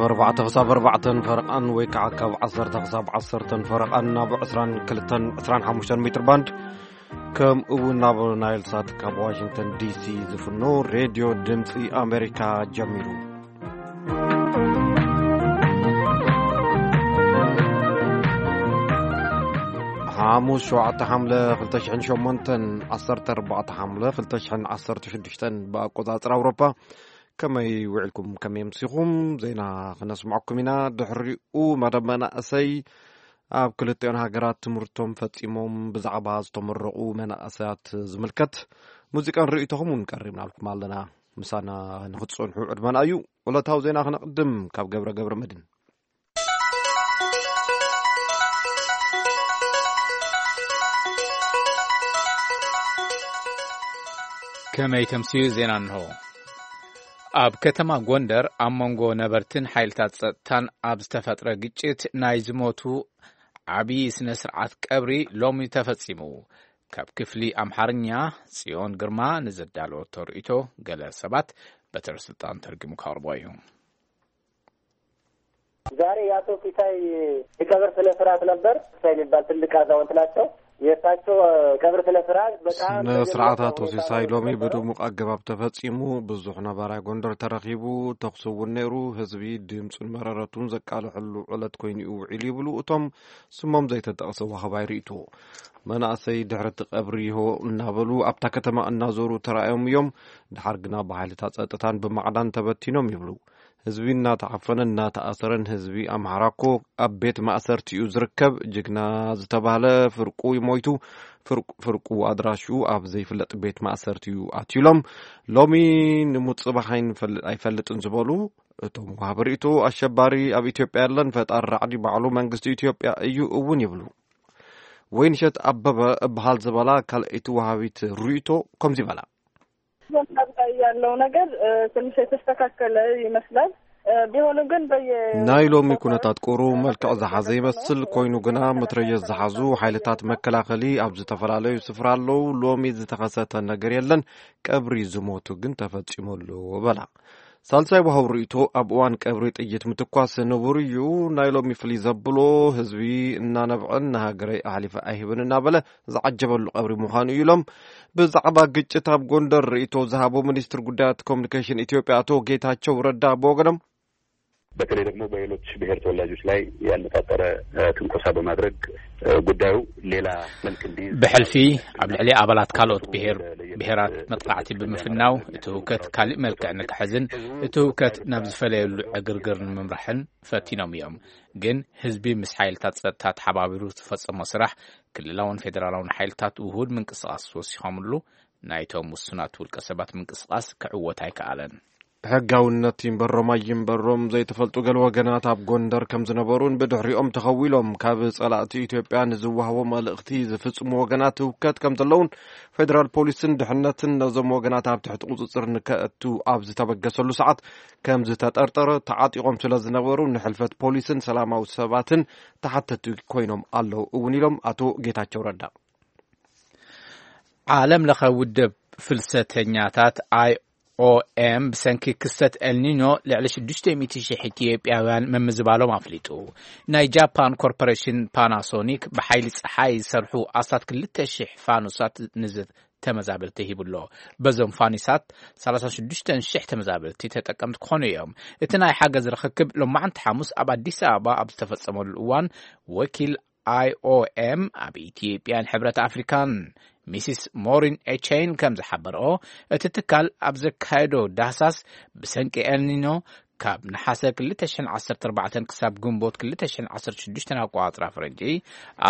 ኣርባዕተ ክሳብ ኣርባዕተን ፈረቓን ወይ ከዓ ካብ ዓሰርተ ክሳብ ዓሰርተን ፈረቓን ናብ ዕስራን ክልተን ዕስራን ሓሙሽተን ሜትር ባንድ፣ ከምኡ እውን ናብ ናይል ሳት ካብ ዋሽንግተን ዲሲ ዝፍኖ ሬድዮ ድምፂ ኣሜሪካ ጀሚሩ። ሓሙስ ሸውዓተ ሓምለ ክልተ ሽሕን ሸሞንተን፣ ዓሰርተ ኣርባዕተ ሓምለ ክልተ ሽሕን ዓሰርተ ሽዱሽተን ብኣቆፃፅራ ኣውሮፓ። ከመይ ውዒልኩም? ከመይ ኣምሲኹም? ዜና ክነስምዐኩም ኢና። ድሕሪኡ መደብ መናእሰይ፣ ኣብ ክልቲኦን ሃገራት ትምህርቶም ፈጺሞም ብዛዕባ ዝተመረቑ መናእሰያት ዝምልከት ሙዚቃን ርእይቶኹም እውን ቀሪብናልኩም ኣለና። ምሳና ንኽትጸንሑ ዕድመና እዩ። ዕለታዊ ዜና ክነቕድም ካብ ገብረ ገብረ መድን። ከመይ ተምስዩ ዜና እንሆ። ኣብ ከተማ ጎንደር ኣብ መንጎ ነበርትን ሓይልታት ጸጥታን ኣብ ዝተፈጥረ ግጭት ናይ ዝሞቱ ዓብዪ ስነ ስርዓት ቀብሪ ሎሚ ተፈጺሙ። ካብ ክፍሊ ኣምሓርኛ ጽዮን ግርማ ንዘዳለወቶ ርእይቶ፣ ገለ ሰባት በትረ ስልጣን ተርጉሙ ከቕርቦ እዩ። ዛሬ የአቶ ሲሳይ የቀብር ስነ ስርዓት ነበር። ሲሳይ የሚባል ትልቅ አዛውንት ናቸው። የእሳቸው ቀብር ስነ ስርዓት በጣም ስነ ስርዓት አቶ ሲሳይ ሎሚ በድሙቅ አገባብ ተፈጺሙ። ብዙሕ ነባራይ ጎንደር ተረኺቡ። ተኹሲ እውን ነይሩ። ህዝቢ ድምፁን መረረቱን ዘቃልሐሉ ዕለት ኮይኑ እዩ ውዒሉ ይብሉ እቶም ስሞም ዘይተጠቕሰ ዋህባይ ርእይቶ። መናእሰይ ድሕሪ እቲ ቀብሪ ይሆ እናበሉ ኣብታ ከተማ እናዞሩ ተራእዮም እዮም። ድሓር ግና ብሓይልታት ጸጥታን ብማዕዳን ተበቲኖም ይብሉ። ህዝቢ እናተዓፈነን እናተኣሰረን፣ ህዝቢ ኣምሓራ እኮ ኣብ ቤት ማእሰርቲ እዩ ዝርከብ። ጅግና ዝተባህለ ፍርቁ ሞይቱ፣ ፍርቁ፣ ፍርቁ ኣድራሽኡ ኣብ ዘይፍለጥ ቤት ማእሰርቲ እዩ ኣትዩ ኢሎም። ሎሚ ንሙት ጽባሕ ኣይንፈል-፣ ኣይፈልጥን ዝበሉ እቶም ወሃቢ ርእይቶ፣ ኣሸባሪ ኣብ ኢትዮጵያ የለን፣ ፈጣሪ ራዕዲ ባዕሉ መንግስቲ ኢትዮጵያ እዩ እውን ይብሉ። ወይንሸት ኣበበ እበሃል ዝበላ ካልኣይቲ ወሃቢት ርእይቶ ከምዚ ይበላ። በምሳብ ላይ ያለው ነገር፣ እ፣ ትንሽ የተስተካከለ ይመስላል። እ፣ ቢሆንም ግን በየ- ናይ ሎሚ ኩነታት ቁሩብ መልክዕ ዝሓዘ ይመስል። ኮይኑ ግና መትረየስ ዝሓዙ ሓይልታት መከላኸሊ ኣብ ዝተፈላለዩ ስፍራ ኣለዉ። ሎሚ ዝተኸሰተ ነገር የለን። ቀብሪ ዝሞቱ ግን ተፈጺሙ ኣሎ በላ። ሳልሳይ ወሃቢ ርእይቶ፣ ኣብ እዋን ቀብሪ ጥይት ምትኳስ ንቡር እዩ። ናይ ሎሚ ፍልይ ዘብሎ ህዝቢ እናነብዐን ንሃገረይ ኣሕሊፈ ኣይህብን እናበለ ዝዓጀበሉ ቀብሪ ምዃኑ እዩ ኢሎም። ብዛዕባ ግጭት ኣብ ጎንደር ርእይቶ ዝሃቡ ሚኒስትር ጉዳያት ኮሚኒኬሽን ኢትዮጵያ ኣቶ ጌታቸው ረዳ ብወገኖም፣ በተለይ ደግሞ በሌሎች ብሔር ተወላጆች ላይ ያነጣጠረ፣ እ፣ ትንኮሳ በማድረግ፣ እ፣ ጉዳዩ ሌላ መልክ እንዲይዝ ብሕልፊ ኣብ ልዕሊ ኣባላት ካልኦት ብሔር፣ ብሔራት መጥቃዕቲ ብምፍናው እቲ ህውከት ካሊእ መልክዕ ንክሕዝን እቲ ህውከት ናብ ዝፈለየሉ ዕግርግር ንምምራሕን ፈቲኖም እዮም። ግን ህዝቢ ምስ ሓይልታት ጸጥታ ተሓባቢሩ ዝፈጸሞ ስራሕ ክልላውን ፌደራላውን ሓይልታት ውሁድ ምንቅስቓስ ወሲኾምሉ ናይቶም ውሱናት ውልቀ ሰባት ምንቅስቓስ ክዕወት ኣይከኣለን። ሕጋውነት ይንበሮም ኣይንበሮም ዘይተፈልጡ ገለ ወገናት ኣብ ጎንደር ከም ዝነበሩን ብድሕሪኦም ተኸዊሎም ካብ ጸላእቲ ኢትዮጵያ ንዝወሃቦ መልእኽቲ ዝፍጽሙ ወገናት ህውከት ከም ዘለውን ፌደራል ፖሊስን ድሕነትን ነዞም ወገናት ኣብ ትሕቲ ቁጽጽር ንከእቱ ኣብ ዝተበገሰሉ ሰዓት ከም ዝተጠርጠረ ተዓጢቖም ስለ ዝነበሩ ንሕልፈት ፖሊስን ሰላማዊ ሰባትን ተሓተቲ ኮይኖም ኣለዉ እውን ኢሎም ኣቶ ጌታቸው ረዳ። ዓለም ለኸ ውድብ ፍልሰተኛታት ኣይ ኦ ኤም ብሰንኪ ክስተት ኤልኒኖ ልዕሊ ሽዱሽተ ሚእቲ ሺሕ ኢትዮጵያውያን ምምዝባሎም ኣፍሊጡ። ናይ ጃፓን ኮርፖሬሽን ፓናሶኒክ ብሓይሊ ጸሓይ ዝሰርሑ ኣስታት ክልተ ሺሕ ፋኑሳት ንዝተመዛበልቲ ሂቡ ኣሎ። በዞም ፋኒሳት ሰላሳ ሽዱሽተ ሺሕ ተመዛበልቲ ተጠቀምቲ ክኾኑ እዮም። እቲ ናይ ሓገዝ ርኽክብ ሎማዓንቲ ሓሙስ ኣብ ኣዲስ ኣበባ ኣብ ዝተፈጸመሉ እዋን ወኪል ኣይ ኦ ኤም ኣብ ኢትዮጵያን ሕብረት ኣፍሪካን ሚስስ ሞሪን ኤቼን ከም ዝሓበረኦ፣ እቲ ትካል ኣብ ዘካየዶ ዳህሳስ ብሰንቂ ኤልኒኖ ካብ ነሓሰ ክልተ ሽሕን ዓሰርተ ኣርባዕተን ክሳብ ግንቦት ክልተ ሽሕን ዓሰርተ ሽዱሽተን ኣቆጻጽራ ፈረንጂ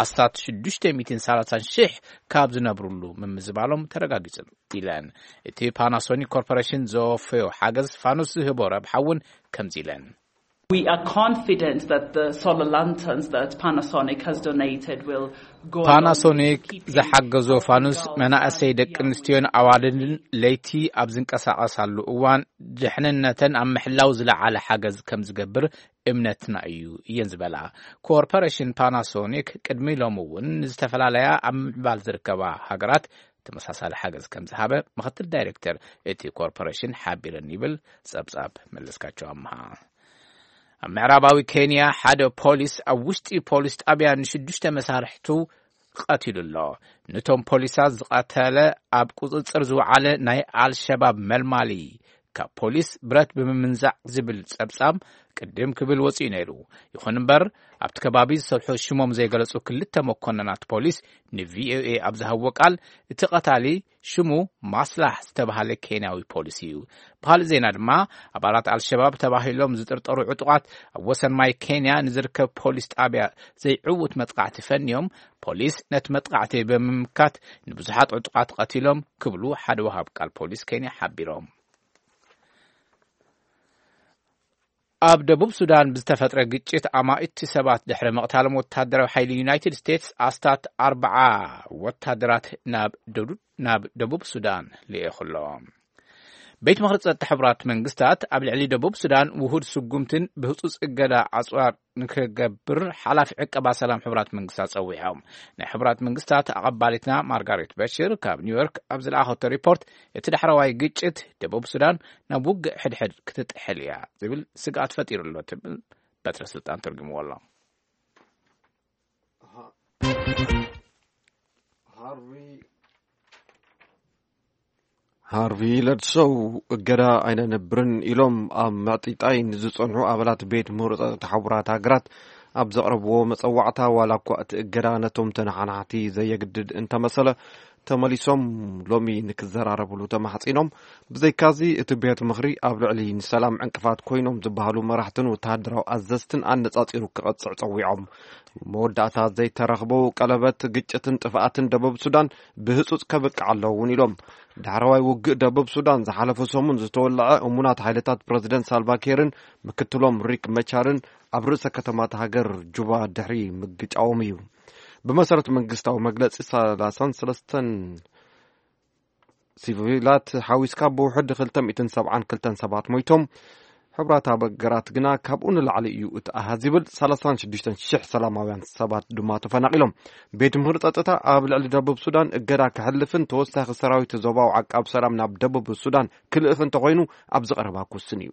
ኣስታት ሽዱሽተ ሚእትን ሰላሳን ሺሕ ካብ ዝነብሩሉ ምምዝባሎም ተረጋጊጹ ኢለን። እቲ ፓናሶኒክ ኮርፖሬሽን ዘወፈዮ ሓገዝ ፋኑስ ዝህቦ ረብሓ እውን ከምዚ ኢለን። We are confident that the solar lanterns that Panasonic has donated will go a long way ፓናሶኒክ to keeping ዝሓገዞ ፋኑስ መናእሰይ ደቂ ኣንስትዮን ኣዋልድን ለይቲ ኣብ ዝንቀሳቐሳሉ እዋን ድሕንነተን ኣብ ምሕላው ዝለዓለ ሓገዝ ከም ዝገብር እምነትና እዩ እየን ዝበላ። ኮርፖሬሽን ፓናሶኒክ ቅድሚ ሎሚ እውን ንዝተፈላለያ ኣብ ምዕባል ዝርከባ ሃገራት ተመሳሳሊ ሓገዝ ከም ዝሃበ ምክትል ዳይሬክተር እቲ ኮርፖሬሽን ሓቢረን ይብል ጸብጻብ መለስካቸው ኣምሃ። ኣብ ምዕራባዊ ኬንያ ሓደ ፖሊስ ኣብ ውሽጢ ፖሊስ ጣብያ ንሽዱሽተ መሳርሕቱ ቀቲሉ ኣሎ። ነቶም ፖሊሳት ዝቐተለ ኣብ ቁጽጽር ዝወዓለ ናይ ኣልሸባብ መልማሊ ካብ ፖሊስ ብረት ብምምንዛዕ ዝብል ጸብጻብ ቅድም ክብል ወጺኡ ነይሩ። ይኹን እምበር ኣብቲ ከባቢ ዝሰርሑ ሽሞም ዘይገለጹ ክልተ መኮንናት ፖሊስ ንቪኦኤ ኣብ ዝሃብዎ ቃል እቲ ቀታሊ ሽሙ ማስላሕ ዝተባህለ ኬንያዊ ፖሊስ እዩ። ብኻልእ ዜና ድማ ኣባላት ኣልሸባብ ተባሂሎም ዝጥርጠሩ ዕጡቓት ኣብ ወሰን ማይ ኬንያ ንዝርከብ ፖሊስ ጣብያ ዘይዕውት መጥቃዕቲ ፈንዮም ፖሊስ ነቲ መጥቃዕቲ ብምምካት ንብዙሓት ዕጡቓት ቀቲሎም ክብሉ ሓደ ወሃብ ቃል ፖሊስ ኬንያ ሓቢሮም። ኣብ ደቡብ ሱዳን ብዝተፈጥረ ግጭት ኣማኢቲ ሰባት ድሕሪ ምቕታሎም ወታደራዊ ሓይሊ ዩናይትድ ስቴትስ ኣስታት ኣርብዓ ወታደራት ናብ ደዱ- ናብ ደቡብ ሱዳን ልኢኹ ኣሎ። ቤት ምኽሪ ጸጥታ ሕቡራት መንግስታት ኣብ ልዕሊ ደቡብ ሱዳን ውሁድ ስጉምትን ብህጹጽ እገዳ ኣጽዋር ንክገብር ሓላፊ ዕቀባ ሰላም ሕቡራት መንግስታት ጸዊዖም። ናይ ሕቡራት መንግስታት ኣቐባሊትና ማርጋሬት በሽር ካብ ኒውዮርክ ኣብ ዝለኣኸቶ ሪፖርት እቲ ዳሕረዋይ ግጭት ደቡብ ሱዳን ናብ ውግእ ሕድሕድ ክትጥሕል እያ ዝብል ስግኣት ፈጢሩ ኣሎ ትብል በትረ ስልጣን ተርጉምዎ ኣሎ። ሃርቪ ለድሶው እገዳ ኣይነንብርን ኢሎም ኣብ ምዕጢጣይ ንዝጸንሑ ኣባላት ቤት ምኽሪ ጸጥታ ሕቡራት ሃገራት ኣብ ዘቕረብዎ መጸዋዕታ፣ ዋላ እኳ እቲ እገዳ ነቶም ተነሓናሕቲ ዘየግድድ እንተመሰለ፣ ተመሊሶም ሎሚ ንክዘራረብሉ ተማሕጺኖም። ብዘይካዚ እቲ ቤት ምኽሪ ኣብ ልዕሊ ንሰላም ዕንቅፋት ኮይኖም ዝበሃሉ መራሕትን ወተሃደራዊ ኣዘዝትን ኣነጻጺሩ ክቐጽዕ ጸዊዖም። መወዳእታ ዘይተረኽበው ቀለበት ግጭትን ጥፍኣትን ደቡብ ሱዳን ብህጹጽ ከብቅዕ ኣለዎ እውን ኢሎም። ዳሕረዋይ ውግእ ደቡብ ሱዳን ዝሓለፈ ሰሙን ዝተወለዐ እሙናት ሓይልታት ፕረዚደንት ሳልቫኪርን ምክትሎም ሪክ መቻርን ኣብ ርእሰ ከተማት ሃገር ጁባ ድሕሪ ምግጫዎም እዩ። ብመሰረት መንግስታዊ መግለጺ ሰላሳን ሰለስተን ሲቪላት ሓዊስካ ብውሕድ ክልተ ሚእትን ሰብዓን ክልተን ሰባት ሞይቶም። ሕብራት ሃገራት ግና ካብኡ ንላዕሊ እዩ እቲ ኣሃዝ ይብል። ሰላሳን ሽዱሽተን ሽሕ ሰላማውያን ሰባት ድማ ተፈናቒሎም። ቤት ምኽሪ ጸጥታ ኣብ ልዕሊ ደቡብ ሱዳን እገዳ ክሕልፍን ተወሳኺ ሰራዊት ዞባዊ ዓቃብ ሰላም ናብ ደቡብ ሱዳን ክልእኽ እንተኾይኑ ኣብ ዝቐረባ ክውስን እዩ።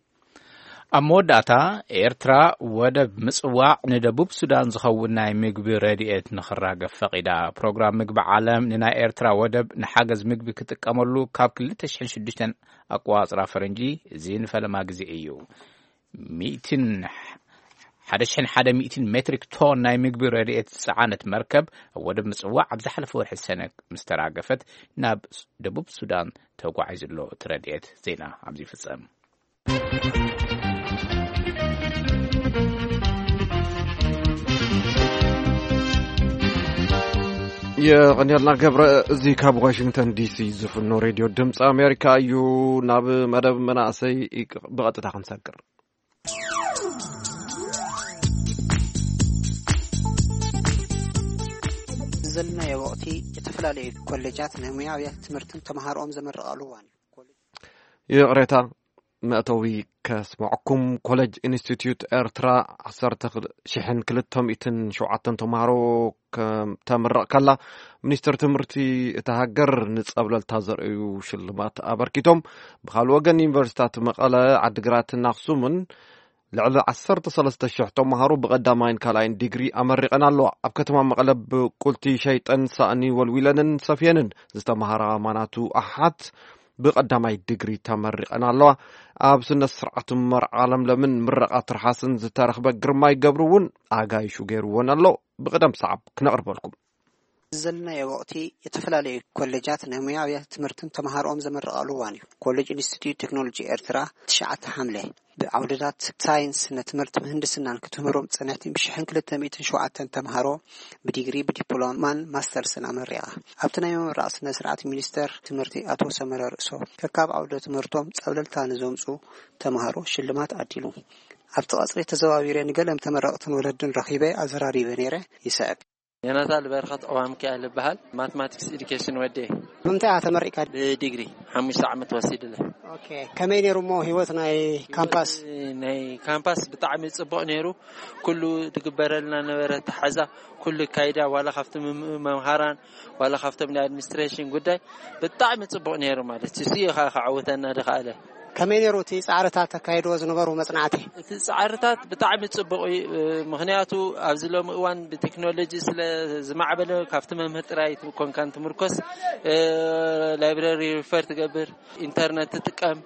ኣብ መወዳእታ ኤርትራ ወደብ ምጽዋዕ ንደቡብ ሱዳን ዝኸውን ናይ ምግቢ ረድኤት ንኽራገፍ ፈቒዳ። ፕሮግራም ምግቢ ዓለም ንናይ ኤርትራ ወደብ ንሓገዝ ምግቢ ክጥቀመሉ ካብ ክልተ ሽሕን ሽዱሽተን ኣቋጽራ ፈረንጂ፣ እዚ ንፈለማ ግዜ እዩ። ሚእትን ሓደ ሽሕን ሓደ ሚእትን ሜትሪክ ቶን ናይ ምግቢ ረድኤት ዝጸዓነት መርከብ ኣብ ወደብ ምጽዋዕ ኣብ ዝሓለፈ ወርሒ ሰነ ምስ ተራገፈት ናብ ደቡብ ሱዳን ተጓዒዙ ኣሎ። እቲ ረድኤት ዜና ኣብዚ ይፍጸም። የቐንየልና ገብረ። እዚ ካብ ዋሽንግተን ዲሲ ዝፍኖ ሬድዮ ድምፂ ኣሜሪካ እዩ። ናብ መደብ መናእሰይ ብቐጥታ ክንሰግር። ዘለናዮ ወቕቲ፣ ዝተፈላለዩ ኮሌጃት ናይ ሙያዊ ትምህርትን ተምሃሮኦም ዘመርቓሉ እዋን እዩ። ይቕሬታ፣ መእተዊ ከስምዐኩም። ኮሌጅ ኢንስቲትዩት ኤርትራ ዓሰርተ ሽሕን ክልተ ሚእትን ሸውዓተን ተምሃሮ ከም ተምርቕ ከላ፣ ሚኒስትር ትምህርቲ እታ ሃገር ንጸብለልታ ዘርእዩ ሽልማት ኣበርኪቶም። ብኻልእ ወገን፣ ዩኒቨርሲታት መቐለ፣ ዓዲግራትን ኣኽሱምን ልዕሊ ዓሰርተ ሰለስተ ሽሕ ተምሃሮ ብቐዳማይን ካልኣይን ዲግሪ ኣመሪቐን ኣለዋ። ኣብ ከተማ መቐለ ብቁልቲ ሸይጠን ሳእኒ ወልዊለንን ሰፍየንን ዝተምሃራ ማናቱ ኣሓት ብቐዳማይ ዲግሪ ተመሪቐን ኣለዋ። ኣብ ስነ ስርዓት መርዓ ለምለምን ምረቓ ትርሓስን ዝተረኽበ ግርማይ ገብሩ እውን ኣጋይሹ ገይርወን ኣሎ። ብቕደም ሰዓብ ክነቕርበልኩም። ዘለናዮ ወቕቲ፣ ዝተፈላለዩ ኮሌጃት ናይ ሙያዊ ትምህርትን ተምሃሮኦም ዘመርቓሉ እዋን እዩ። ኮሌጅ ኢንስቲትዩት ቴክኖሎጂ ኤርትራ፣ ትሽዓተ ሓምለ፣ ብዓውድታት ሳይንስ፣ ስነ ትምህርቲ፣ ምህንድስናን ክትምህሮም ጽንዕቲ ብሽሕን ክልተ ሚእትን ሸውዓተን ተምሃሮ ብዲግሪ፣ ብዲፕሎማን ማስተርስን ኣመሪቓ። ኣብቲ ናይ ምምራቕ ስነ ስርዓት፣ ሚኒስተር ትምህርቲ ኣቶ ሰመረ ርእሶ ከካብ ዓውደ ትምህርቶም ጸብለልታ ንዘምጹ ተምሃሮ ሽልማት ዓዲሉ። ኣብቲ ቀጽሪ ተዘዋዊረ ንገለም ተመረቕትን ወለድን ረኺበ ኣዘራሪበ ነይረ። ይስዕብ። ዮናታን በረኸት ኦባሚካኤል እበሃል። ማትማቲክስ ኤዱኬሽን ወዴ። ብምንታይ ኢኻ ተመሪቕካ? ብዲግሪ ሓሙሽተ ዓመት ወሲድለ። ኦኬ፣ ከመይ ነይሩ እሞ ህይወት ናይ ካምፓስ? ናይ ካምፓስ ብጣዕሚ ጽቡቕ ነይሩ። ኩሉ ዝግበረልና ነበረ፣ ተሓዛ፣ ኩሉ ካይዳ፣ ዋላ ካብቲ መም-፣ መምሃራን፣ ዋላ ካብቶም ናይ ኣድሚኒስትሬሽን ጉዳይ ብጣዕሚ ጽቡቕ ነይሩ ማለት እዩ። እሱ እዩ ከ-፣ ከዕውተና ዝኸኣለ። ከመይ ነይሩ እቲ ጻዕርታት ተካይድዎ ዝነበሩ መጽናዕቲ? እቲ ጻዕርታት ብጣዕሚ ጽቡቕ እዩ። ምኽንያቱ ኣብዚ ሎሚ እዋን ብቴክኖሎጂ ስለ ዝማዕበለ ካብቲ መምህር ጥራይ ኮንካን ትምርኮስ፣ ላይብረሪ ሪፈር ትገብር፣ ኢንተርነት ትጥቀም፣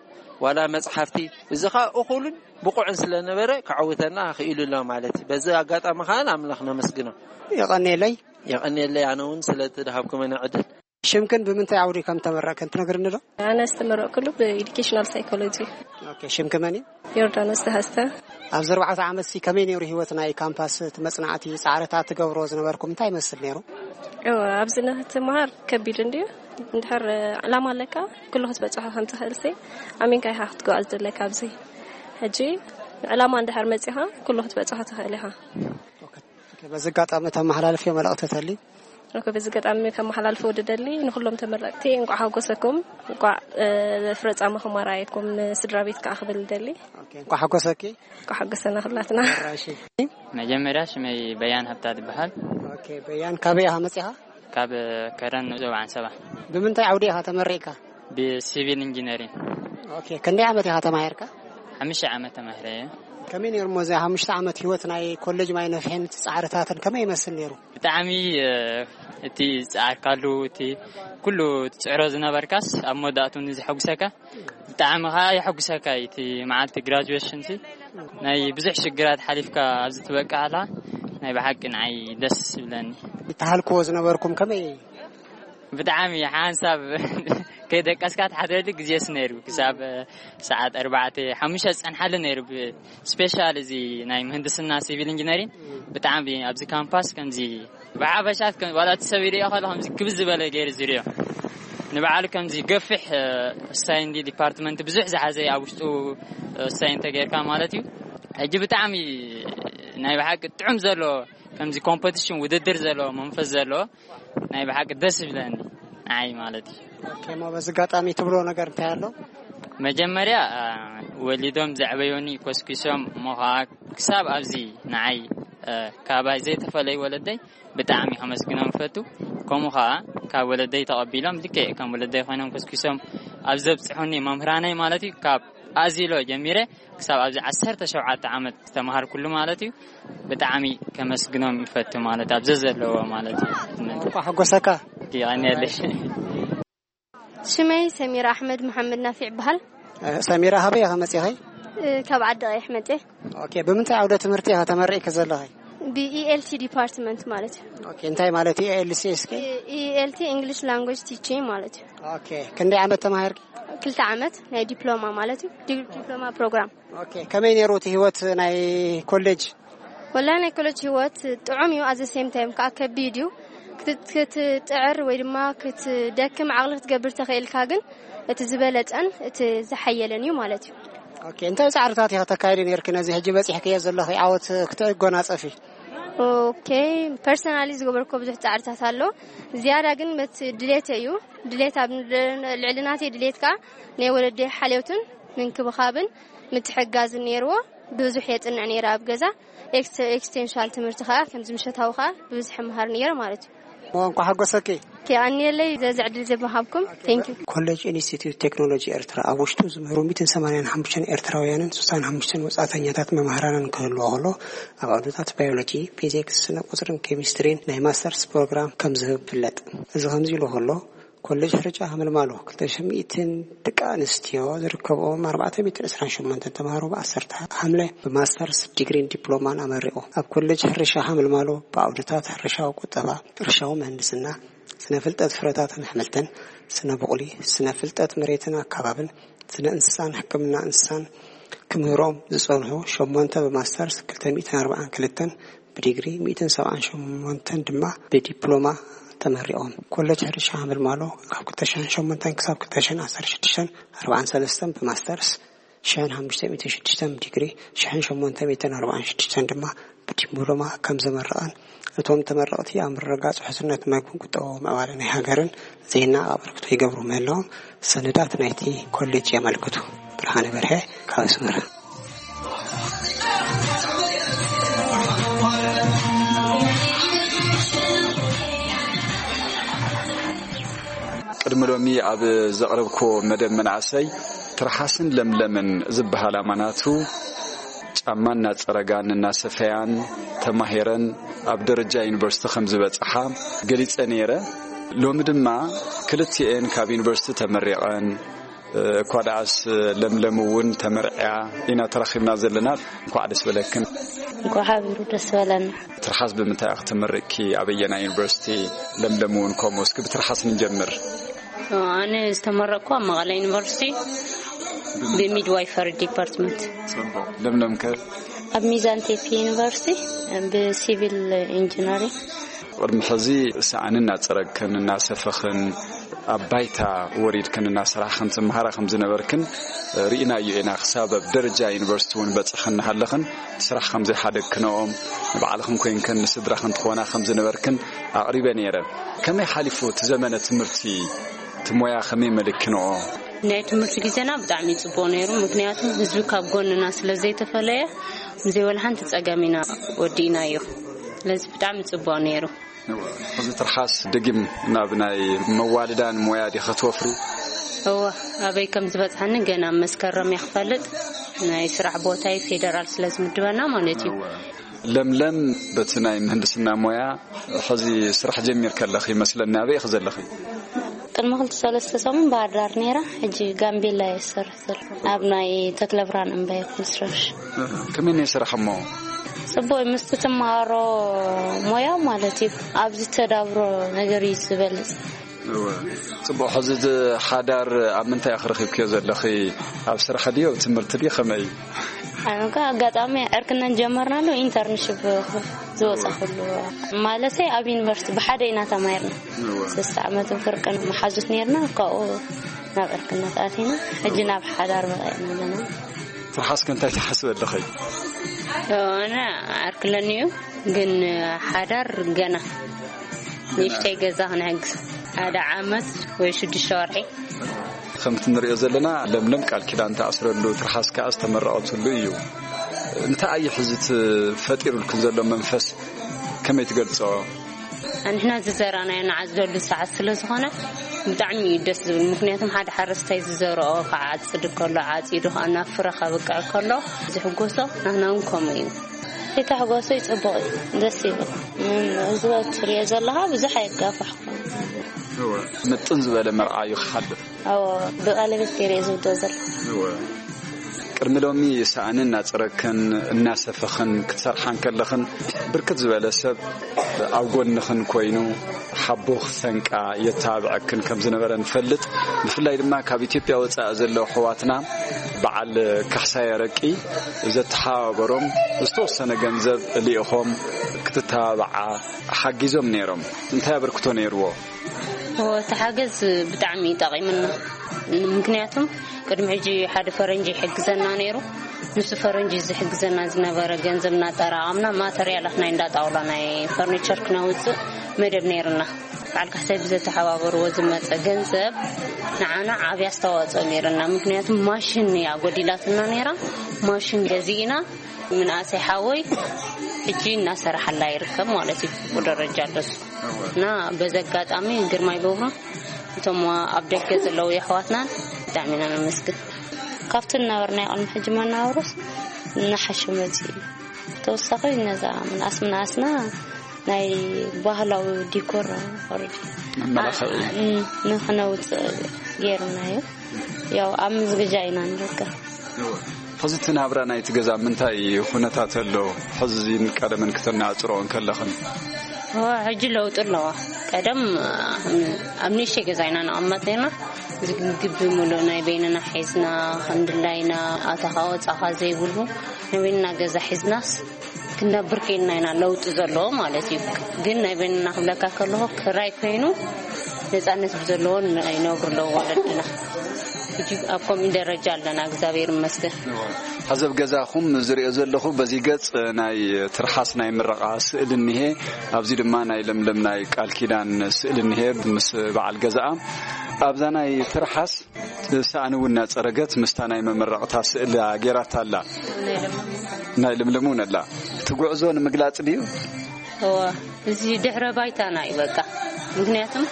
ዋላ መጽሓፍቲ፣ እዚ ኸኣ እኹልን ብቑዕን ስለ ነበረ ከዕውተና ክኢሉ ኣሎ ማለት እዩ። በዚ ኣጋጣሚ ኸኣ ንኣምላኽ ነመስግኖ። የቐንየለይ። የቐንየለይ ኣነ እውን ስለ እቲ ድሃብኩመኒ ዕድል። ሽምክን ብምንታይ ዓውዲ ከም ተመረቅክን ትነግርኒ ዶ? ኣነ ዝተመረቅኩሉ ብኤዱኬሽናል ሳይኮሎጂ። ኦኬ፣ ሽምኪ መን እዩ? ዮርዳኖስ ተሃስተ። ኣብዚ ኣርባዕተ ዓመት ሲ ከመይ ነይሩ ህይወት ናይ ካምፓስ እቲ መጽናዕቲ ጻዕርታት ትገብሮ ዝነበርኩም እንታይ ይመስል ነይሩ? እወ፣ ኣብዚ ንክትመሃር ከቢድ እንድዩ። እንድሕር ዕላማ ኣለካ ኩሉ ክትበጽሖ ከም ትኽእል ሲ ኣሚንካ ኢኻ ክትጓዓዝ ዘለካ ኣብዚ። ሕጂ ዕላማ እንድሕር መጺኻ ኩሉ ክትበጽሖ ትኽእል ኢኻ። በዚ ኣጋጣሚ ተመሓላልፍዮ መልእኽቲ ተልዩ? ኦኬ፣ በዚ ኣጋጣሚ ከመሓላልፎ ዝደሊ ንኹሎም ተመረቕቲ እንቋዕ ሓጎሰኩም፣ እንቋዕ ፍረጻማኹም ኣርኣየኩም፣ ንስድራ ቤት ከኣ ክብል ደሊ። ኦኬ፣ እንቋዕ ሓጎሰኪ። እንቋዕ ሓጎሰና ኩላትና። ራሺ። መጀመርያ ሽመይ በያን ሃብታ ትበሃል። ኦኬ፣ በያን ካበይ ኢኻ መጺኻ? ካብ ከረን ዞባ ዓንሰባ። ብምንታይ ዓውዲ ኢኻ ተመሪቕካ? ብሲቪል ኢንጂነሪንግ። ኦኬ፣ ክንደይ ዓመት ኢኻ ተማሂርካ? ሓሙሽተ ዓመት ተማሂረ እየ። ከመይ ነይሩ እሞ እዚ ሓሙሽተ ዓመት ህይወት ናይ ኮሌጅ ማይ ነፍሒን እቲ ጻዕርታትን ከመይ ይመስል ነይሩ? ብጣዕሚ እቲ ዝጸዓርካሉ እቲ ኩሉ ትጽዕሮ ዝነበርካስ ኣብ መወዳእቱ ንዘሐጉሰካ ብጣዕሚ ኸዓ የሐጉሰካ እዩ። እቲ መዓልቲ ግራጁዌሽን ሲ ናይ ብዙሕ ሽግራት ሓሊፍካ ኣብዚ ትበቅዕ ኣላ ናይ ብሓቂ ንዓይ ደስ ይብለኒ። ይተሃልክዎ ዝነበርኩም ከመይ? ብጣዕሚ ሓንሳብ ከይደቀስካ ትሓድረሉ ግዜስ ነይሩ ክሳብ ሰዓት ኣርባዕተ ሓሙሽተ ዝጸንሓሉ ነይሩ። ስፔሻል እዚ ናይ ምህንድስና ሲቪል ኢንጂነሪንግ ብጣዕሚ ኣብዚ ካምፓስ ከምዚ ብሓፈሻት ከም ዋላ እቲ ሰብ ይሪኦ ከሎ ከምዚ ክብዝ ዝበለ ገይሩ ዝሪኦ ንባዕሉ ከምዚ ገፊሕ ሳይንዲ ዲፓርትመንት ብዙሕ ዝሓዘ ኣብ ውሽጡ ሳይን ተገይርካ ማለት እዩ። ሕጂ ብጣዕሚ ናይ ብሓቂ ጥዑም ዘሎ ከምዚ ኮምፖቲሽን ውድድር ዘለዎ መንፈስ ዘለዎ ናይ ብሓቂ ደስ ይብለኒ ንዓይ ማለት እዩ። ኦኬ፣ እሞ በዚ ኣጋጣሚ ትብሎ ነገር እንታይ ኣሎ? መጀመርያ ወሊዶም ዘዕበዮኒ ኮስኪሶም እሞ ኸዓ ክሳብ ኣብዚ ንዓይ ካባይ ዘይተፈለዩ ወለደይ ብጣዕሚ ከመስግኖም እፈቱ። ከምኡ ኸዓ ካብ ወለደይ ተቐቢሎም ልክዕ ከም ወለደይ ኮይኖም ኮስኪሶም ኣብ ዘብፅሑኒ መምህራነይ ማለት እዩ ካብ ኣዚሎ ጀሚረ ክሳብ ኣብዚ ዓሰርተ ሸውዓተ ዓመት ዝተምሃርኩሉ ማለት እዩ። ብጣዕሚ ከመስግኖም ይፈቱ ማለት ኣብ ዘዘለዎ ማለት እዩ። እንኳ ሓጎሰካ። የቐንየለይ። ሽመይ ሰሚራ ኣሕመድ መሓመድ ናፊዕ ይበሃል። ሰሚራ፣ ሃበይ ኢኻ መጺኺ? ካብ ዓዲ ቀይሕ መጽየ። ኦኬ፣ ብምንታይ ዓውደ ትምህርቲ ኢኻ ተመሪዕኪ ዘለኺ? ብኢኤልቲ ዲፓርትመንት ማለት እዩ። ኦኬ፣ እንታይ ማለት እዩ ኤኤልሲ እስኪ? ኢኤልቲ ኢንግሊሽ ላንጉጅ ቲቺንግ ማለት እዩ። ኦኬ፣ ክንደይ ዓመት ተማሂርኪ? ክልተ ዓመት ናይ ዲፕሎማ ማለት እዩ። ዲ- ዲፕሎማ ፕሮግራም። ኦኬ፣ ከመይ ነይሩ እቲ ህይወት ናይ ኮሌጅ? ወላ ናይ ኮሌጅ ህይወት ጥዑም እዩ። ኣዘ ሴም ታይም ከዓ ከቢድ እዩ። ክት- ክትጥዕር ወይ ድማ ክትደክም ዓቕሊ ክትገብር ተኽእልካ ግን እቲ ዝበለፀን እቲ ዝሓየለን እዩ ማለት እዩ። ኦኬ፣ እንታይ ፃዕርታት ኢኸ ተካይዲ ነይርኪ ነዚ ሕጂ በፂሕክዮ ዘለኺ ዓወት ክትጎናፀፊ? ኦኬ፣ ፐርሰናሊ ዝገበርኮ ብዙሕ ፃዕርታት ኣሎ። ዝያዳ ግን መት ድሌት እዩ። ድሌት ኣብ ልዕሊ ናተይ ድሌት ከዓ ናይ ወለደይ ሓልዮትን ምንክብኻብን ምትሕጋዝን ነይርዎ። ብዙሕ የፅንዕ ነይረ ኣብ ገዛ። ኤክስ- ኤክስቴንሻል ትምህርቲ ከዓ ከምዚ ምሸታዊ ከዓ ብብዝሒ መሃር ነይረ ማለት እዩ። እሞ እንኳ ሓጎሰኪ። ኦኬ፣ ኣንየለይ ዘዚ ዕድል ዝብሃብኩም። ቴንክ ዩ። ኮሌጅ ኢንስቲትዩት ቴክኖሎጂ ኤርትራ ኣብ ውሽጡ ዝምህሩ ሚእትን ሰማንያን ሓሙሽተን ኤርትራውያንን ስሳን ሓሙሽተን ወጻእተኛታት መማህራንን ክህልዎ ከሎ፣ ኣብ ዓውድታት ባዮሎጂ፣ ፊዚክስ፣ ስነ ቁጽርን ኬሚስትሪን ናይ ማስተርስ ፕሮግራም ከም ዝህብ ይፍለጥ። እዚ ከምዚ ኢሉ ከሎ፣ ኮሌጅ ሕርጫ ሃመልማሎ ክልተ ሽሕን ሚእትን ደቂ ኣንስትዮ ዝርከብኦም ኣርባዕተ ሚእትን ዕስራን ሸሞንተን ተምሃሮ ብ ዓሰርተ ሓምለ ብማስተርስ ዲግሪን ዲፕሎማን ኣመሪቑ። ኣብ ኮሌጅ ሕርሻ ሃመልማሎ ብዓውድታት ሕርሻዊ ቁጠባ፣ ሕርሻዊ ምህንድስና፣ ስነ ፍልጠት ፍረታትን ኣሕምልትን፣ ስነ ብቑሊ፣ ስነ ፍልጠት መሬትን ኣከባብን፣ ስነ እንስሳን ሕክምና እንስሳን ክምህሮም ዝጸንሑ ሸሞንተ ብማስተርስ ክልተ ሚእትን ኣርባዓን ክልተን ብዲግሪ፣ ሚእትን ሰብዓን ሸሞንተን ድማ ብዲፕሎማ ተመሪቖም። ኮለጅ ሕርሻ ሃመልማሎ ካብ ክልተ ሽሕን ሸሞንተን ክሳብ ክልተ ሽሕን ዓሰርተ ሽዱሽተን ኣርባዓን ሰለስተን ብማስተርስ፣ ሽሕን ሓሙሽተ ሚእትን ሽዱሽተን ብዲግሪ፣ ሽሕን ሸሞንተ ሚእትን ኣርባዓን ሽዱሽተን ድማ ብዲፕሎማ ከም ዘመረቐን፣ እቶም ተመረቕቲ ኣብ ምርግጋጽ ውሕስነት መግብን ቁጠባዊ ምዕባለ ናይ ሃገርን ዜና ኣበርክቶ ይገብሩ ምህላዎም ሰነዳት ናይቲ ኮሌጅ የመልክቱ። ብርሃነ በርሀ ካብ ኣስመራ። ቅድሚ ሎሚ ኣብ ዘቕረብኩዎ መደብ መናእሰይ ትርሓስን ለምለምን ዝበሃል ኣማናቱ ጫማ እናጸረጋን እናሰፈያን ተማሂረን ኣብ ደረጃ ዩኒቨርሲቲ ከም ዝበጽሓ ገሊጸ ነይረ። ሎሚ ድማ ክልቲኤን ካብ ዩኒቨርሲቲ ተመሪቐን፣ እኳ ደኣስ ለምለም እውን ተመርዕያ ኢና ተራኺብና ዘለና። እንኳዕ ደስ በለክን። እንኳዕ ሓቢሩ ደስ በለና። ትርሓስ ብምንታይ ኢኺ ተመሪቕኪ? ኣበየናይ ዩኒቨርሲቲ? ለምለም እውን ከምኡ። እስኪ ብትርሓስ ንጀምር። ኣነ ዝተመረቅኩ ኣብ መቐለ ዩኒቨርሲቲ ብሚድዋይፈሪ ዲፓርትመንት። ለምለም ከ? ኣብ ሚዛን ቴፒ ዩኒቨርሲቲ ብሲቪል ኢንጂነሪንግ። ቅድሚ ሕዚ ሰኣን እናጸረግክን እናሰፈኽን ኣብ ባይታ ወሪድክን እናሰራሕክን ትመሃራ ከም ዝነበርክን ርኢናዮ ኢና። ክሳብ ኣብ ደረጃ ዩኒቨርሲቲ እውን በጽሕክን እናሃለኽን ስራሕ ከም ዘይሓደግክንኦም፣ ንባዕልኽን ኮይንክን ንስድራኽን ትኾና ከም ዝነበርክን ኣቕሪበ ነይረ። ከመይ ሓሊፉ እቲ ዘመነ ትምህርቲ? እቲ ሞያ ከመይ መሊክክንኦ? ናይ ትምህርቲ ግዜና ብጣዕሚ ጽቡቕ ነይሩ፣ ምክንያቱ ህዝቢ ካብ ጎንና ስለ ዘይተፈለየ፣ ብዘይ ወላ ሓንቲ ጸገም ኢና ወዲእናዮ። ስለዚ ብጣዕሚ ጽቡቕ ነይሩ። እዚ ትርሓስ ደጊም ናብ ናይ መዋልዳን ሞያ ዲኸ ትወፍሪ? እወ፣ ኣበይ ከም ዝበጽሓኒ ገና መስከረም እየ ክፈልጥ። ናይ ስራሕ ቦታይ ፌደራል ስለ ዝምድበና ማለት እዩ። እወ። ለምለም፣ በቲ ናይ ምህንድስና ሞያ ሕዚ ስራሕ ጀሚር ከለኺ ይመስለኒ። ኣበይ ኢኺ ዘለኺ? ቅድሚ ክልተ ሰለስተ ሰሙን ባህር ዳር ነይራ፣ ሕጂ ጋምቤላ እየ ዝሰርሕ ዘለኹ። ኣብ ናይ ተክለ ብርሃን እምባየ ኮንስትራክሽን። እህ፣ ከመይ ናይ ስራሕ እሞ? ጽቡቕ እዩ፣ ምስቲ ትመሃሮ ሞያ ማለት እዩ። ኣብዚ ተዳብሮ ነገር እዩ ዝበልጽ። እወ። ጽቡቕ፣ ሕዚ እቲ ሓዳር ኣብ ምንታይ ኢኺ ረኺብክዮ ዘለኺ? ኣብ ስራሕ ድዩ፣ ኣብ ትምህርቲ ድዩ፣ ከመይ? ኣነ ከ ኣጋጣሚ ዕርክነት ጀመርናሉ ኢንተርንሽፕ ዝወጻ ኩሉ ማለተይ ኣብ ዩኒቨርሲቲ ብሓደ ኢና ተማሂርና። እወ። ሰለስተ ዓመትን ፍርቅን መሓዙት ነይርና፣ ካብኡ ናብ ዕርክነት ኣቲና፣ ሕጂ ናብ ሓዳር በቒዕና ኣለና። ትርሓስከ እንታይ ትሓስቢ ኣለኺ? ኣነ ዓርክለኒ እዩ፣ ግን ሓዳር ገና ንእሽተይ ገዛ ክንሕግዝ ሓደ ዓመት ወይ ሽዱሽተ ወርሒ። ከምቲ ንሪኦ ዘለና ለምለም ቃል ኪዳን ተኣስረሉ፣ ትርሓስ ከኣ ዝተመረቐትሉ እዩ። እንታይ እዩ ሕዚ እቲ ፈጢሩልክን ዘሎ መንፈስ ከመይ ትገልጾ? ንሕና ዝዘራእናዮ ንዓጽደሉ ሰዓት ስለ ዝኾነ ብጣዕሚ እዩ ደስ ዝብል። ምክንያቱም ሓደ ሓረስታይ ዝዘርኦ ክዓጽድ ከሎ፣ ዓጺዱ ከዓ ናብ ፍረ ከብቅዕ ከሎ ዝሕጎሶ፣ ናህና እውን ከምኡ እዩ። እቲ ሕጎሱ ይጽቡቕ እዩ፣ ደስ ይብል። ም-፣ ህዝቢ ትሪኦ ዘለኻ ብዙሕ ኣይጋፋሕኩን። እወ፣ ምጥን ዝበለ መርዓ እዩ ክሓልፍ። እወ፣ ብቐለቤት ገይረ እየ ዝውዶ ዘለኹ። እወ። ቅድሚ ሎሚ ሰኣን እናጸረግክን እናሰፈኽን ክትሰርሓ እንከለኽን፣ ብርክት ዝበለ ሰብ ኣብ ጎንኽን ኮይኑ ሓቦ ክሰንቃ የተባብዐክን ከም ዝነበረ ንፈልጥ። ብፍላይ ድማ ካብ ኢትዮጵያ ወጻኢ ዘለዉ ኣሕዋትና በዓል ካሕሳይ ኣረቂ ዘተሓባበሮም ዝተወሰነ ገንዘብ ልኢኾም ክትተባብዓ ሓጊዞም ነይሮም። እንታይ ኣበርክቶ ነይርዎ? እዎ፣ እቲ ሓገዝ ብጣዕሚ እዩ ጠቒምና። ምክንያቱም ቅድሚ ሕጂ ሓደ ፈረንጂ ይሕግዘና ነይሩ። ንሱ ፈረንጂ ዝሕግዘና ዝነበረ ገንዘብ እናጠራቐምና ማተርያላት ናይ እንዳ ጣውላ ናይ ፈርኒቸር ክነውፅእ መደብ ነይርና። በዓል ካሕሳይ ብዘተሓባበርዎ ዝመፀ ገንዘብ ንዓና ዓብዪ ኣስተዋፅኦ ነይርና። ምክንያቱም ማሽን እያ ጎዲላትና ነይራ። ማሽን ገዚእና ምንኣሰይ ሓወይ ሕጂ እናሰራሓላ ይርከብ ማለት እዩ። ብቁ ደረጃ ኣለሱ እና በዚ ኣጋጣሚ ግርማይ በብሮ እቶም ኣብ ደገ ዘለዉ የሕዋትናን ብጣዕሚ ኢና ነመስግን። ካብቲ ዝነበርናዮ ቅድሚ ሕጂ መነባብሮስ እናሓሸ መፂኡ እዩ። ተወሳኺ ነዛ ምንኣስ ምንኣስና ናይ ባህላዊ ዲኮር ኦረዲ መመላኽዒ። ን-፣ ንኽነውፅእ ገይሩና እዩ። ያው ኣብ ምዝግጃ ኢና ንርከብ። ሕዚ እቲ ናብራ ናይቲ ገዛ ምንታይ ኩነታት ኣሎ? ሕዚ ቀደመን ክተነጻጽርኦ እንከለኽን? እወ፣ ሕጂ ለውጢ ኣለዋ። ቀደም ኣብ ንእሽተይ ገዛ ኢና ንቕመጥ ነርና። እዚ ግቢ ሙሉእ ናይ በይንና ሒዝና፣ ክንድላይና፣ ኣታኻ ወጻኻ ዘይብሉ ናይ በይንና ገዛ ሒዝናስ ክንነብር ከይንና ኢና ለውጢ ዘለዎ ማለት እዩ። ግን ናይ በይንና ክብለካ ከለኹ ክራይ ኮይኑ ነጻነት ብዘለዎ ይነብሩ ኣለዉ ወለድና። ሕጂ ኣብ ከምኡ ደረጃ ኣለና፣ እግዚኣብሔር ይመስገን። ሓዘብ ገዛኹም ዝሪኦ ዘለኹ በዚ ገጽ ናይ ትርሓስ ናይ ምረቓ ስእሊ እኒሄ፣ ኣብዚ ድማ ናይ ለምለም ናይ ቃል ኪዳን ስእሊ እኒሄ ምስ በዓል ገዛኣ። ኣብዛ ናይ ትርሓስ ሰኣን እውን እናጸረገት ምስታ ናይ መመረቕታ ስእሊ ገይራታ ኣላ። ናይ ለምለም እውን ኣላ። እቲ ጉዕዞ ንምግላጽ ድዩ? እወ፣ እዚ ድሕረ ባይታና እዩ በቃ። ምክንያቱም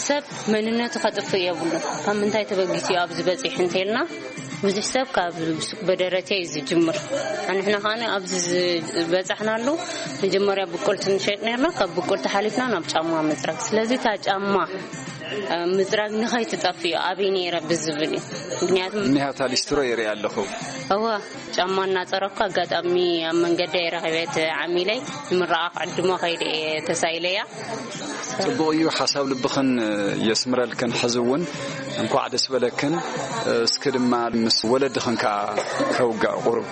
ሰብ መንነቱ ከጥፍእ የብሉ። ካብ ምንታይ ተበጊሱ እዩ ኣብዚ በፂሑ እንተልና፣ ብዙሕ ሰብ ካብ ሱቅ በደረቴ እዩ ዝጅምር። ኣንሕና ከኣ ኣብዚ ዝበፃሕናሉ መጀመርያ ብቁልቲ ንሸጥ ነርና፣ ካብ ብቁልቲ ሓሊፍና ናብ ጫማ ምፅራግ። ስለዚ እታ ጫማ ምፅራግ ንኸይትጠፍእ እዩ ኣበይ ነይረ ብዝብል እዩ። ምክንያቱም እኒሃታ ሊስትሮ ይርኢ ኣለኹ። እወ፣ ጫማ እናፀረኩ ኣጋጣሚ ኣብ መንገዲ ረኺበ፣ ዓሚለይ ንምርቓ ክዕድሞ ከይደ እየ ተሳኢለያ። ጽቡቕ እዩ። ሓሳብ ልብኽን የስምረልክን። ሕዚ እውን እንኳዕ ደስ በለክን። እስኪ ድማ ምስ ወለድኽን ከኣ ከውጋእ ቁሩብ።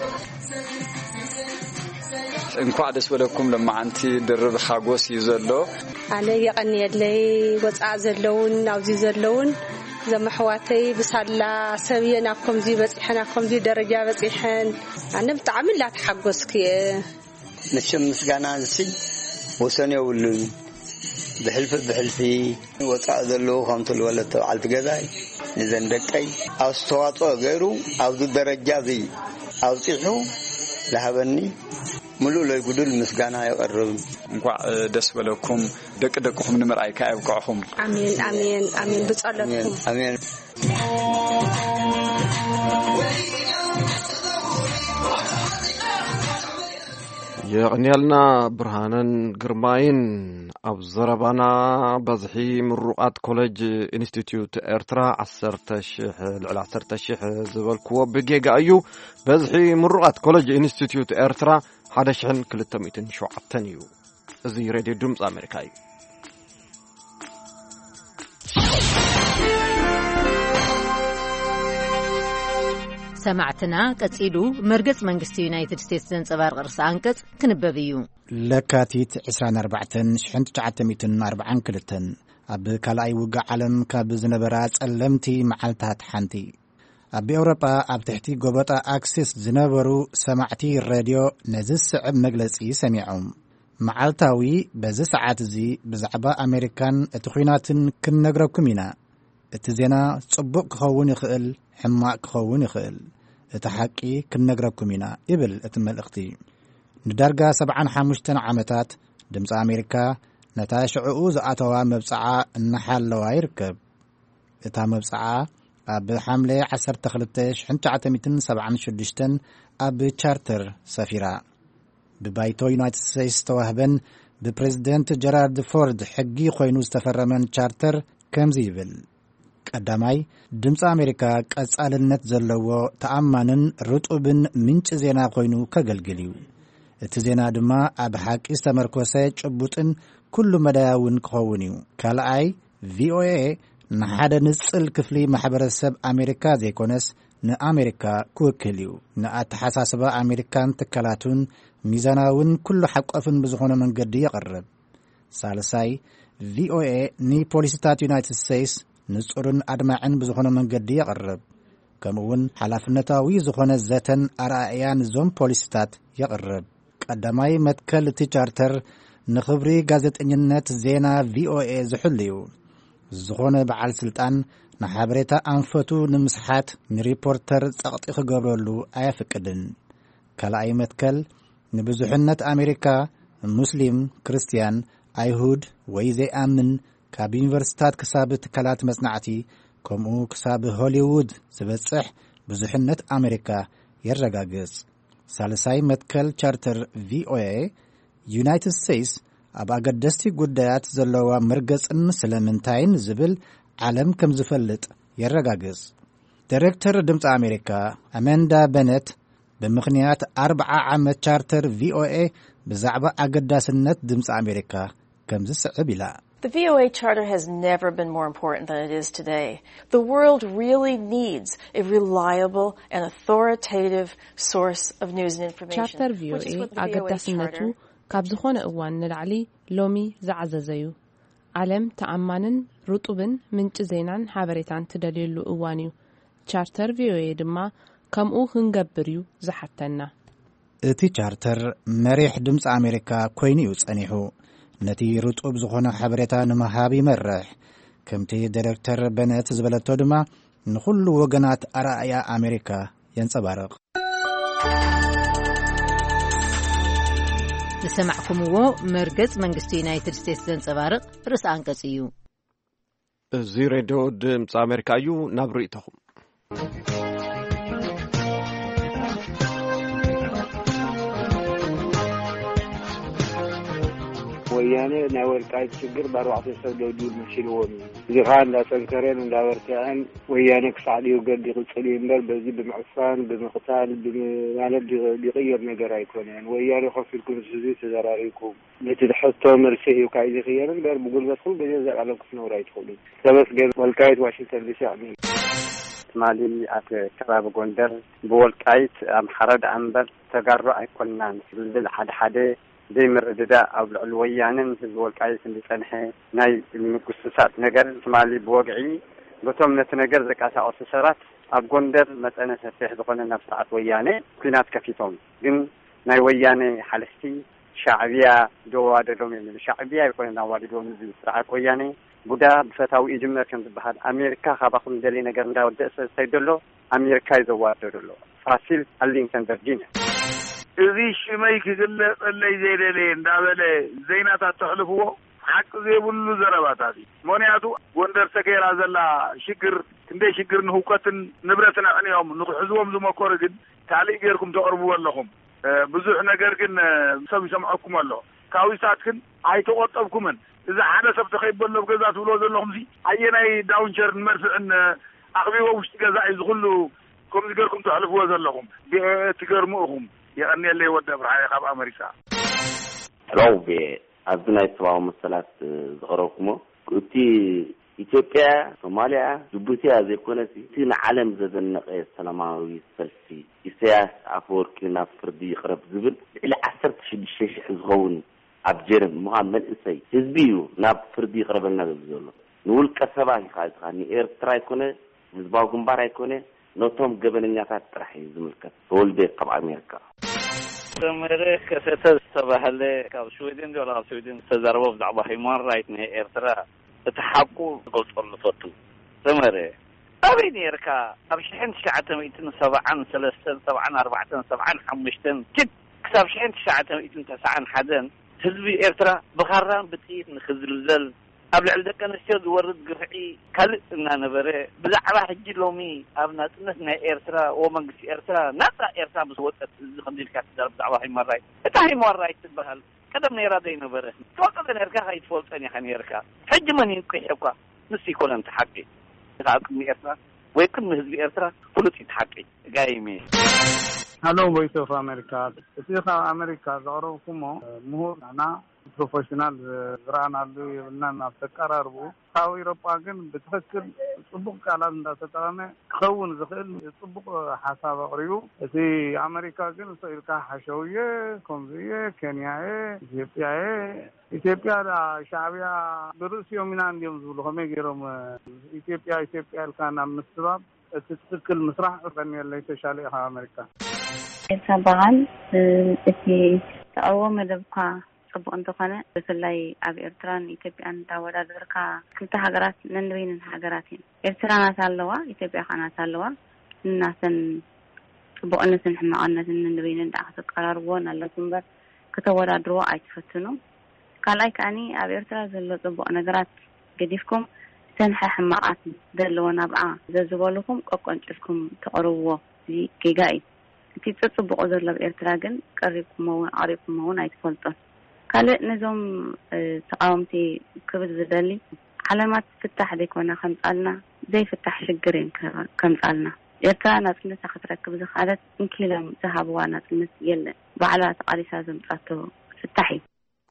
እንኳዕ ደስ በለኩም። ለማዓንቲ ድርብ ሓጎስ እዩ ዘሎ። ኣነ የቐንየለይ። ወፃእ ዘለውን ኣብዚ ዘለውን ዘመሕዋተይ ብሳላ ሰብየ ናብ ከምዚ በፂሐን ኣብ ከምዚ ደረጃ በፂሐን ኣነ ብጣዕሚ ላተሓጎስኩ እየ። መቸም ምስጋና ንሲ ወሰን የብሉን። ብሕልፊ ብሕልፊ ወፃእ ዘለዉ ከምቲ ልወለት ተባዓልቲ ገዛይ ንዘን ደቀይ ኣስተዋፅኦ ገይሩ ኣብዚ ደረጃ እዚ ኣብፂሑ ዝሃበኒ ምሉእ ለይጉዱል ምስጋና የቐርብ። እንኳዕ ደስ በለኩም። ደቂ ደቅኹም ንምርኣይ ከኣ የብቅዕኹም። ኣሜን፣ ኣሜን፣ ኣሜን። ብጸሎትኩም። ኣሜን። የቕንየልና ብርሃነን ግርማይን። ኣብ ዘረባና በዝሒ ምሩቓት ኮሌጅ ኢንስቲትዩት ኤርትራ ዓሰርተ ሽሕ፣ ልዕሊ ዓሰርተ ሽሕ ዝበልክዎ ብጌጋ እዩ። በዝሒ ምሩቓት ኮሌጅ ኢንስቲትዩት ኤርትራ ሓደ ሽሕን ክልተ ሚእትን ሸውዓተን እዩ። እዚ ሬድዮ ድምፂ ኣሜሪካ እዩ። ሰማዕትና፣ ቀጺሉ መርገጽ መንግስቲ ዩናይትድ ስቴትስ ዘንጸባርቕ ርእሰ ኣንቀጽ ክንበብ እዩ። ለካቲት ዕስራን ኣርባዕተን ሽሕን ትሽዓተ ሚእትን ኣርባዓን ክልተን ኣብ ካልኣይ ውግእ ዓለም ካብ ዝነበራ ጸለምቲ መዓልታት ሓንቲ። ኣብ ኤውሮጳ ኣብ ትሕቲ ጎበጣ ኣክሲስ ዝነበሩ ሰማዕቲ ሬድዮ ነዚ ዝስዕብ መግለጺ ሰሚዖም። መዓልታዊ በዚ ሰዓት እዚ ብዛዕባ ኣሜሪካን እቲ ኲናትን ክንነግረኩም ኢና። እቲ ዜና ጽቡቕ ክኸውን ይኽእል፣ ሕማቕ ክኸውን ይኽእል። እቲ ሓቂ ክንነግረኩም ኢና፣ ይብል እቲ መልእኽቲ። ንዳርጋ ሰብዓን ሓሙሽተን ዓመታት ድምፂ ኣሜሪካ ነታ ሽዕኡ ዝኣተዋ መብጽዓ እናሓለዋ ይርከብ። እታ መብጽዓ ኣብ ሓምለ ዓሰርተ ክልተ ሽሕን ትሽዓተ ሚእትን ሰብዓን ሽዱሽተን ኣብ ቻርተር ሰፊራ። ብባይቶ ዩናይትድ ስቴትስ ዝተዋህበን ብፕሬዝደንት ጀራርድ ፎርድ ሕጊ ኮይኑ ዝተፈረመን ቻርተር ከምዚ ይብል። ቀዳማይ፣ ድምፂ ኣሜሪካ ቀጻልነት ዘለዎ፣ ተኣማንን ርጡብን ምንጪ ዜና ኮይኑ ከገልግል እዩ። እቲ ዜና ድማ ኣብ ሓቂ ዝተመርኮሰ፣ ጭቡጥን ኩሉ መዳያውን ክኸውን እዩ። ካልኣይ፣ ቪኦኤ ንሓደ ንጽል ክፍሊ ማሕበረሰብ ኣሜሪካ ዘይኮነስ ንኣሜሪካ ክውክል እዩ። ንኣተሓሳስባ ኣሜሪካን ትካላቱን ሚዛናውን ኩሉ ሓቋፍን ብዝኾነ መንገዲ የቕርብ። ሳልሳይ፣ ቪኦኤ ንፖሊሲታት ዩናይትድ ስቴትስ ንጹርን ኣድማዕን ብዝኾነ መንገዲ የቕርብ። ከምኡውን ሓላፍነታዊ ዝኾነ ዘተን ኣረኣእያን እዞም ፖሊሲታት የቕርብ። ቀዳማይ መትከል እቲ ቻርተር ንኽብሪ ጋዜጠኝነት ዜና ቪኦኤ ዝሕሉ እዩ። ዝኾነ በዓል ስልጣን ንሓበሬታ ኣንፈቱ ንምስሓት ንሪፖርተር ጸቕጢ ክገብረሉ ኣየፍቅድን። ካልኣይ መትከል ንብዙሕነት ኣሜሪካ፣ ሙስሊም፣ ክርስትያን፣ ኣይሁድ ወይ ዘይኣምን፣ ካብ ዩኒቨርሲታት ክሳብ ትካላት መጽናዕቲ፣ ከምኡ ክሳብ ሆሊውድ ዝበጽሕ ብዙሕነት ኣሜሪካ የረጋግጽ። ሳልሳይ መትከል ቻርተር ቪኦኤ፣ ዩናይትድ ስቴትስ ኣብ ኣገደስቲ ጉዳያት ዘለዋ መርገጽን ስለምንታይን ዝብል ዓለም ከም ዝፈልጥ የረጋግጽ። ዳይሬክተር ድምፂ ኣሜሪካ ኣመንዳ በነት ብምኽንያት ኣርብዓ ዓመት ቻርተር ቪኦኤ ብዛዕባ ኣገዳስነት ድምፂ ኣሜሪካ ከምዚ ስዕብ ኢላ። The V O A Charter has never been more important than it is today. The world really needs a reliable and authoritative source of news and information, ቻርተር which is ቪኦኤ what the V O A ኣገዳስነቱ Charter ካብ ዝኾነ እዋን ንላዕሊ ሎሚ ዝዓዘዘ እዩ። ዓለም ተኣማንን ርጡብን ምንጪ ዜናን ሓበሬታን ትደልየሉ እዋን እዩ። ቻርተር ቪኦኤ ድማ ከምኡ ክንገብር እዩ ዝሓተና። እቲ ቻርተር መሪሕ ድምፂ ኣሜሪካ ኮይኑ እዩ ጸኒሑ። ነቲ ርጡብ ዝኾነ ሓበሬታ ንምሃብ ይመርሕ። ከምቲ ዳይሬክተር በነት ዝበለቶ ድማ ንኹሉ ወገናት ኣረኣእያ ኣሜሪካ የንጸባርቕ። ዝሰማዕኩምዎ መርገጽ መንግስቲ ዩናይትድ ስቴትስ ዘንጸባርቕ ርእሰ ኣንቀጽ እዩ። እዚ ሬድዮ ድምፂ ኣሜሪካ እዩ። ናብ ርእይቶኹም። ወያነ ናይ ወልቃይት ሽግር ብኣርባዕተ ሰብ ደብዲቡ መሲልዎም እዩ። እዚ ከዓ እንዳጠንከረን እንዳበርትዐን ወያነ ክሳዕ ድዩ ገድ ይቕፅል እዩ እምበር በዚ ብምዕፋን ብምቕታል ብም- ማለት ዲ- ዲቕየር ነገር ኣይኮነን። ወያነ ኮፍ ኢልኩም ምስ ህዝቢ ተዘራሪብኩም ነቲ ሕቶ መልሲ ሂብካ እዩ ዝኽየል እምበር ብጉልበት ኩሉ ግዜ ዘቃለም ክትነብሩ ኣይትኽእሉ። ተመስገን ወልቃይት ዋሽንግተን ዲሲ ኣሜን። ትማሊ ኣብ ከባቢ ጎንደር ብወልቃይት ኣምሓራ ደኣ እምበር ተጋሩ ኣይኮንናን ዝብል ሓደ ሓደ ዘይምርድዳእ ኣብ ልዕሊ ወያነን ህዝቢ ወልቃይትን ዝጸንሐ ናይ ምጉስሳጥ ነገር ትማሊ ብወግዒ በቶም ነቲ ነገር ዘቀሳቀሱ ሰባት ኣብ ጎንደር መጠነ ሰፊሕ ዝኾነ ናብ ስርዓት ወያነ ኲናት ከፊቶም። ግን ናይ ወያነ ሓለፍቲ ሻዕብያ ደዋደዶም እዮም። ሻዕብያ ኣይኮነን ኣዋዲዶም፣ እዚ ስርዓት ወያነ ቡዳ ብፈታዊ ይጅመር ከም ዝበሃል ኣሜሪካ ካባኹም ደልየ ነገር እንዳወደእ ስለ ዝኸይድ ዘሎ ኣሜሪካ እዩ ዘዋደዶ ኣሎ። ፋሲል ኣሊንሰን ቨርጂኒያ። እዚ ሽመይ ክግለጸለይ ዘይደለየ እንዳበለ ዜናታት ተሕልፍዎ ሓቂ ዘይብሉ ዘረባታት እዩ። ምክንያቱ ጎንደር ሰገራ ዘላ ሽግር ክንደይ ሽግር ንህውከትን ንብረትን ኣዕንዮም ንክሕዝዎም ዝመከሩ ግን ካልእ ጌርኩም ተቕርብዎ ኣለኹም። ብዙሕ ነገር ግን ሰብ ይሰምዐኩም ኣሎ። ካዊሳት ግን ኣይተቆጠብኩምን። እዚ ሓደ ሰብ ተኸይበሎ ኣብ ገዛ ትብልዎ ዘለኹም ሲ ኣየናይ ዳውንቸርን መድፍዕን ኣኽቢቦ ውሽጢ ገዛ እዩ ዝኹሉ ከምዚ ገርኩም ተሕልፍዎ ዘለኹም? ትገርሙ እኹም። የቐንየለይ ወዲ ኣብርሃየ ካብ ኣመሪካ። ሮቤ ኣብዚ ናይ ሰብኣዊ መሰላት ዝቐረብኩሞ እቲ ኢትዮጵያ ሶማሊያ ጅቡቲያ ዘይኮነሲ እቲ ንዓለም ዘደነቐ ሰላማዊ ሰልፊ ኢሳያስ ኣፈወርቂ ናብ ፍርዲ ይቕረብ ዝብል ልዕሊ ዓሰርተ ሽዱሽተ ሽሕ ዝኸውን ኣብ ጀርም ምዃን መንእሰይ ህዝቢ እዩ ናብ ፍርዲ ይቕረበልና ዝብል ዘሎ። ንውልቀ ሰባት ኢኻ ኢኻ ንኤርትራ ኣይኮነ ንህዝባዊ ግንባር ኣይኮነ ነቶም ገበነኛታት ጥራሕ እዩ ዝምልከት። ተወልደ ካብ ኣሜሪካ። ሰመረ ከሰተ ዝተባህለ ካብ ስዊድን ዶ ካብ ስዊድን ዝተዛረቦ ብዛዕባ ሂማን ራይት ናይ ኤርትራ እቲ ሓቁ ክገልጸሉ ፈቱ። ሰመረ ኣበይ ነርካ? ኣብ ሽሕን ትሽዓተ ሚእትን ሰብዓን ሰለስተን ሰብዓን ኣርባዕተን ሰብዓን ሓሙሽተን ኪድ ክሳብ ሽሕን ትሽዓተ ሚእትን ተስዓን ሓደን ህዝቢ ኤርትራ ብኻራን ብጥይት ንክዝልዘል ኣብ ልዕሊ ደቂ ኣንስትዮ ዝወርድ ግፍዒ ካልእ እናነበረ ብዛዕባ ሕጂ ሎሚ ኣብ ናጽነት ናይ ኤርትራ ወ መንግስቲ ኤርትራ ናጻ ኤርትራ ምስ ወጸት እዚ ከምዚ ኢልካ ትዛረብ ብዛዕባ ሂማን ራይት እታ ሂማን ራይት ትበሃል ቀደም ነይራ ዘይነበረ ትፈልጦ ዘይነርካ ከይትፈልጦን ኢኻ ነርካ ሕጂ መን ይንቅሕኳ ንስ ይኮነን እቲ ሓቂ ካብ ቅድሚ ኤርትራ ወይ ቅድሚ ህዝቢ ኤርትራ ፍሉጥ እዩ እቲ ሓቂ ጋይሜ ሃሎ ቮይስ ኦፍ ኣሜሪካ እቲ ካብ ኣሜሪካ ዘቕረብኩሞ ምሁር ና ፕሮፌሽናል ዝረኣናሉ የብልናን ኣብ ተቀራርቡ ካብ ኤሮጳ ግን ብትክክል ጽቡቕ ቃላት እንዳተጠቐመ ክኸውን ዝኽእል ጽቡቕ ሓሳብ ኣቕሪቡ። እቲ ኣመሪካ ግን ስቕ ኢልካ ሓሸውየ፣ ከምዚ እየ፣ ኬንያ እየ፣ ኢትዮጵያ እየ። ኢትዮጵያ ደኣ ሻዕብያ ብርእሲኦም ኢና እንድዮም ዝብሉ ከመይ ገይሮም ኢትዮጵያ ኢትዮጵያ ኢልካ ናብ ምስባብ እቲ ትክክል ምስራሕ ቀንየለይ ተሻለ ኢኻ ኣመሪካ። ኤልሳ በዓል እቲ ተቐርቦ መደብካ ጽቡቕ እንተኾነ ብፍላይ ኣብ ኤርትራን ኢትዮጵያን እንዳወዳደርካ ክልተ ሃገራት ነንበይነን ሃገራት እየን። ኤርትራ ናታ ኣለዋ፣ ኢትዮጵያ ከኣ ናታ ኣለዋ። ንናተን ጽቡቕነትን ሕማቕነትን ነንበይነን ደኣ ከተቀራርብወን ኣለኩም እምበር ከተወዳድርዎ ኣይትፈትኑ። ካልኣይ ከኣኒ ኣብ ኤርትራ ዘሎ ጽቡቕ ነገራት ገዲፍኩም እተን ሕሕማቓት ዘለወን ኣብኣ ዘዝበሉኹም ቀቆንጭልኩም ተቕርብዎ። እዚ ጌጋ እዩ። እቲ ጽጽቡቑ ዘሎ ኣብ ኤርትራ ግን ቀሪብኩሞ እውን ኣቕሪብኩሞ እውን ኣይትፈልጡን። ካልእ ነዞም ተቃወምቲ ክብል ዝደሊ ዓለማት ፍታሕ ዘይኮና ከምጻልና ዘይፍታሕ ሽግር እየን ከምጻልና። ኤርትራ ናጽነታ ክትረክብ ዝኽኣለት እንኪሎም ዝሃብዋ ናጽነት የለን። ባዕላ ተቓሊሳ ዘምጻቶ ፍታሕ እዩ።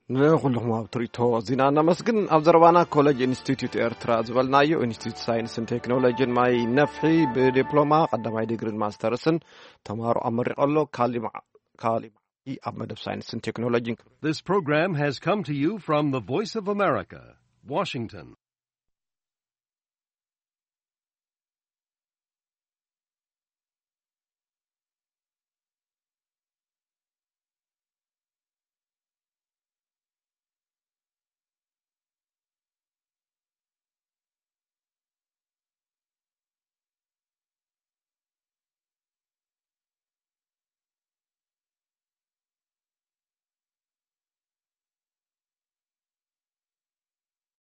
ንኹልኹም ኣብ ትርኢቶ ዚና እናመስግን ኣብ ዘረባና ኮሌጅ ኢንስቲትዩት ኤርትራ ዝበልናዮ ኢንስቲትዩት ሳይንስን ቴክኖሎጂን ማይ ነፍሒ ብዲፕሎማ ቀዳማይ ዲግሪን ማስተርስን ተማሃሮ ኣመሪቑ ኣሎ። ካሊማ ካሊማ ኣብ መደብ ሳይንስን ቴክኖሎጂን This program has come to you from the Voice of America, Washington.